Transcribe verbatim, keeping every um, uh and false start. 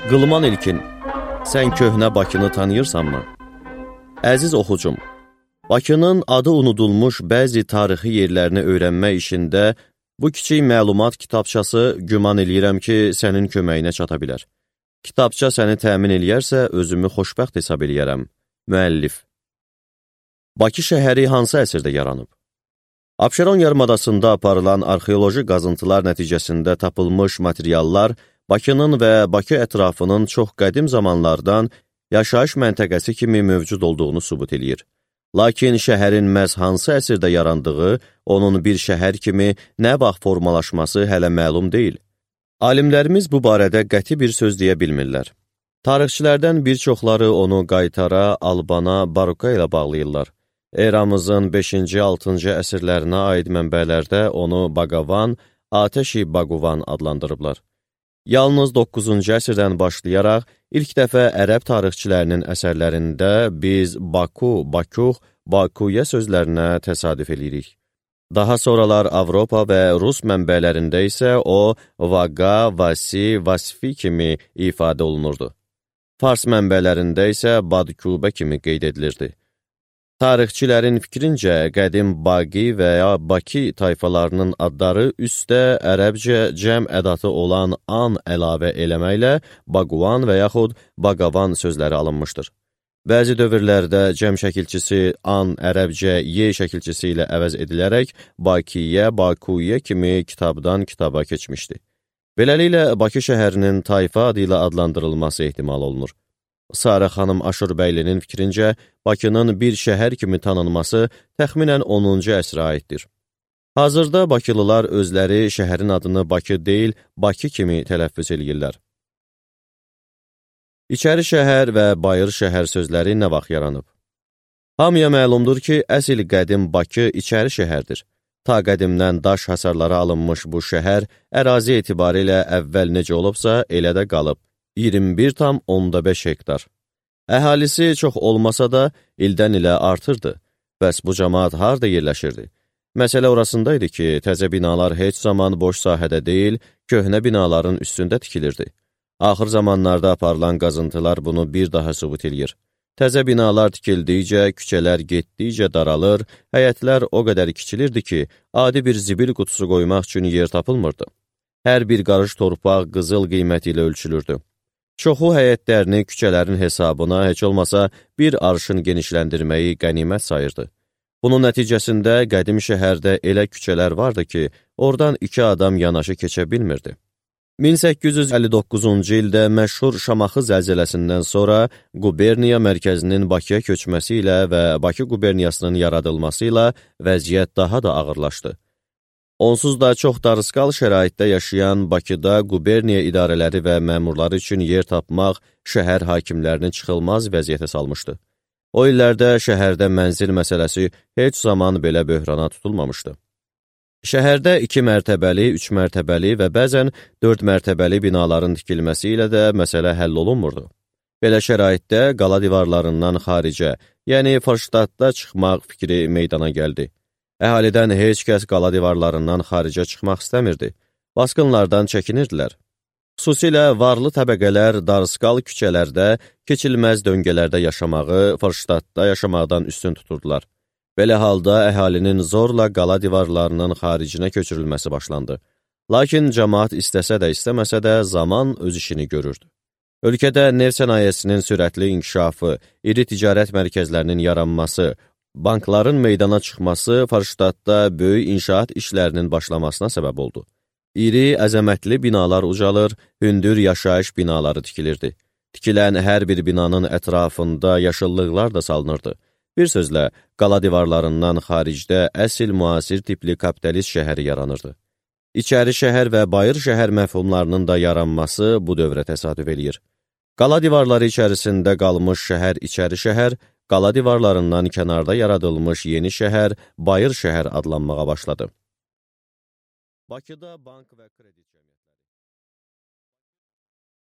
Qılman İlkin, sən köhnə Bakını tanıyırsanmı? Əziz oxucum, Bakının adı unudulmuş bəzi tarixi yerlərini öyrənmək işində bu kiçik məlumat kitabçası güman eləyirəm ki, sənin köməyinə çata bilər. Kitabça səni təmin eləyərsə, özümü xoşbəxt hesab eləyərəm. Müəllif. Bakı şəhəri hansı əsrdə yaranıb? Abşeron yarımadasında aparılan arxeoloji qazıntılar nəticəsində tapılmış materiallar Bakının və Bakı ətrafının çox qədim zamanlardan yaşayış məntəqəsi kimi mövcud olduğunu sübut eləyir. Lakin şəhərin məhz hansı əsrdə yarandığı, onun bir şəhər kimi nə vaxt formalaşması hələ məlum deyil. Alimlərimiz bu barədə qəti bir söz deyə bilmirlər. Tarixçilərdən bir çoxları onu Qaytara, Albana, Baruka ilə bağlayırlar. Eramızın beşinci altıncı əsrlərinə aid mənbələrdə onu Baqavan, Atəşi Baquvan adlandırıblar. Yalnız doqquzuncu əsrdən başlayaraq ilk dəfə ərəb tarixçilərinin əsərlərində biz Baku, Bakuh, Bakuya sözlərinə təsadüf edirik. Daha sonralar Avropa və Rus mənbələrində isə o Vaqa, Vasi, Vasfi kimi ifadə olunurdu. Fars mənbələrində isə Badkubə kimi qeyd edilirdi. Tarixçilərin fikrincə, qədim Baqi və ya Baki tayfalarının adları üstə ərəbcə cəm ədatı olan an əlavə eləməklə Baquvan və yaxud Baqavan sözləri alınmışdır. Bəzi dövrlərdə cəm şəkilçisi an ərəbcə ye şəkilçisi ilə əvəz edilərək Bakiyə, Bakuyə kimi kitabdan kitaba keçmişdi. Beləliklə, Bakı şəhərinin tayfa adı ilə adlandırılması ehtimal olunur. Sarı xanım Aşurbəylinin fikrincə, Bakının bir şəhər kimi tanınması təxminən onuncu əsrə aiddir. Hazırda Bakılılar özləri şəhərin adını Bakı deyil, Bakı kimi tələffüz edirlər. İçəri şəhər və bayır şəhər sözləri nə vaxt yaranıb? Hamıya məlumdur ki, əsl qədim Bakı içəri şəhərdir. Ta qədimdən daş hasarları alınmış bu şəhər ərazi etibarilə əvvəl necə olubsa, elə də qalıb. iyirmi bir tam onda beş hektar. Əhalisi çox olmasa da ildən ilə artırdı. Bəs bu cəmaat harda yerləşirdi? Məsələ orasındaydı ki, təzə binalar heç zaman boş sahədə deyil, köhnə binaların üstündə tikilirdi. Axır zamanlarda aparılan qazıntılar bunu bir daha sübut edir. Təzə binalar tikildikcə, küçələr getdikcə daralır, həyətlər o qədər kiçilirdi ki, adi bir zibil qutusu qoymaq üçün yer tapılmırdı. Hər bir qarış torpaq qızıl qiyməti ilə ölçülürdü. Çoxu həyətlərini küçələrin hesabına heç olmasa bir arşın genişləndirməyi qənimət sayırdı. Bunun nəticəsində qədim şəhərdə elə küçələr vardı ki, oradan iki adam yanaşı keçə bilmirdi. min səkkiz yüz əlli doqquzuncu ildə məşhur Şamaxı zəlzələsindən sonra quberniya mərkəzinin Bakıya köçməsi ilə və Bakı quberniyasının yaradılması ilə vəziyyət daha da ağırlaşdı. Onsuz da çox darısqal şəraitdə yaşayan Bakıda quberniya idarələri və məmurları üçün yer tapmaq şəhər hakimlərini çıxılmaz vəziyyətə salmışdı. O illərdə şəhərdə mənzil məsələsi heç zaman belə böhrana tutulmamışdı. Şəhərdə iki mərtəbəli, üç mərtəbəli və bəzən dörd mərtəbəli binaların tikilməsi ilə də məsələ həll olunmurdu. Belə şəraitdə qala divarlarından xaricə, yəni Fırştadda çıxmaq fikri meydana gəldi. Əhalidən heç kəs qala divarlarından xaricə çıxmaq istəmirdi. Baskınlardan çəkinirdilər. Xüsusilə varlı təbəqələr darısqal küçələrdə, keçilməz döngələrdə yaşamağı, Fırştadda yaşamaqdan üstün tuturdular. Belə halda əhalinin zorla qala divarlarının xaricinə köçürülməsi başlandı. Lakin cəmaat istəsə də istəməsə də zaman öz işini görürdü. Ölkədə neft sənayesinin sürətli inkişafı, iri ticarət mərkəzlərinin yaranması, bankların meydana çıxması Fırştadda böyük inşaat işlərinin başlamasına səbəb oldu. İri, əzəmətli binalar ucalır, hündür yaşayış binaları tikilirdi. Tikilən hər bir binanın ətrafında yaşıllıqlar da salınırdı. Bir sözlə, qala divarlarından xaricdə əsl müasir tipli kapitalist şəhəri yaranırdı. İçəri şəhər və bayır şəhər məfhumlarının da yaranması bu dövrə təsadüf eləyir. Qala divarları içərisində qalmış şəhər içəri şəhər, qala divarlarından kənarda yaradılmış yeni şəhər, bayır şəhər adlanmağa başladı. Bakıda bank və kredi